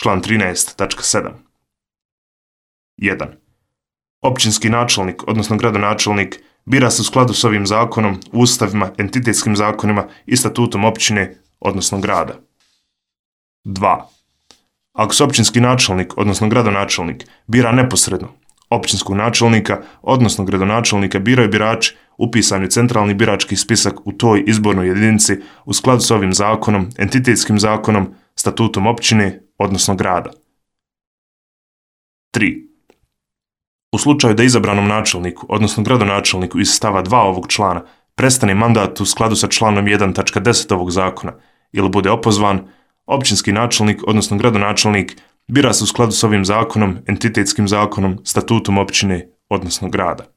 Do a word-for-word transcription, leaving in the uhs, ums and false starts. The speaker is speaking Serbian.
član trinaest tačka sedam. jedan. Općinski načelnik, odnosno gradonačelnik, bira se u skladu s ovim zakonom, ustavima, entitetskim zakonima i statutom općine, odnosno grada. dva. Ako se općinski načelnik, odnosno gradonačelnik, bira neposredno, općinskog načelnika, odnosno gradonačelnika biraju birači upisani u centralni birački spisak u toj izbornoj jedinici u skladu s ovim zakonom, entitetskim zakonom, statutom općine, odnosno grada. tri. U slučaju da izabranom načelniku, odnosno gradonačelniku iz stava dva ovog člana, prestane mandat u skladu sa članom jedan tačka deset ovog zakona ili bude opozvan, općinski načelnik, odnosno gradonačelnik, bira se u skladu s ovim zakonom, entitetskim zakonom, statutom općine, odnosno grada.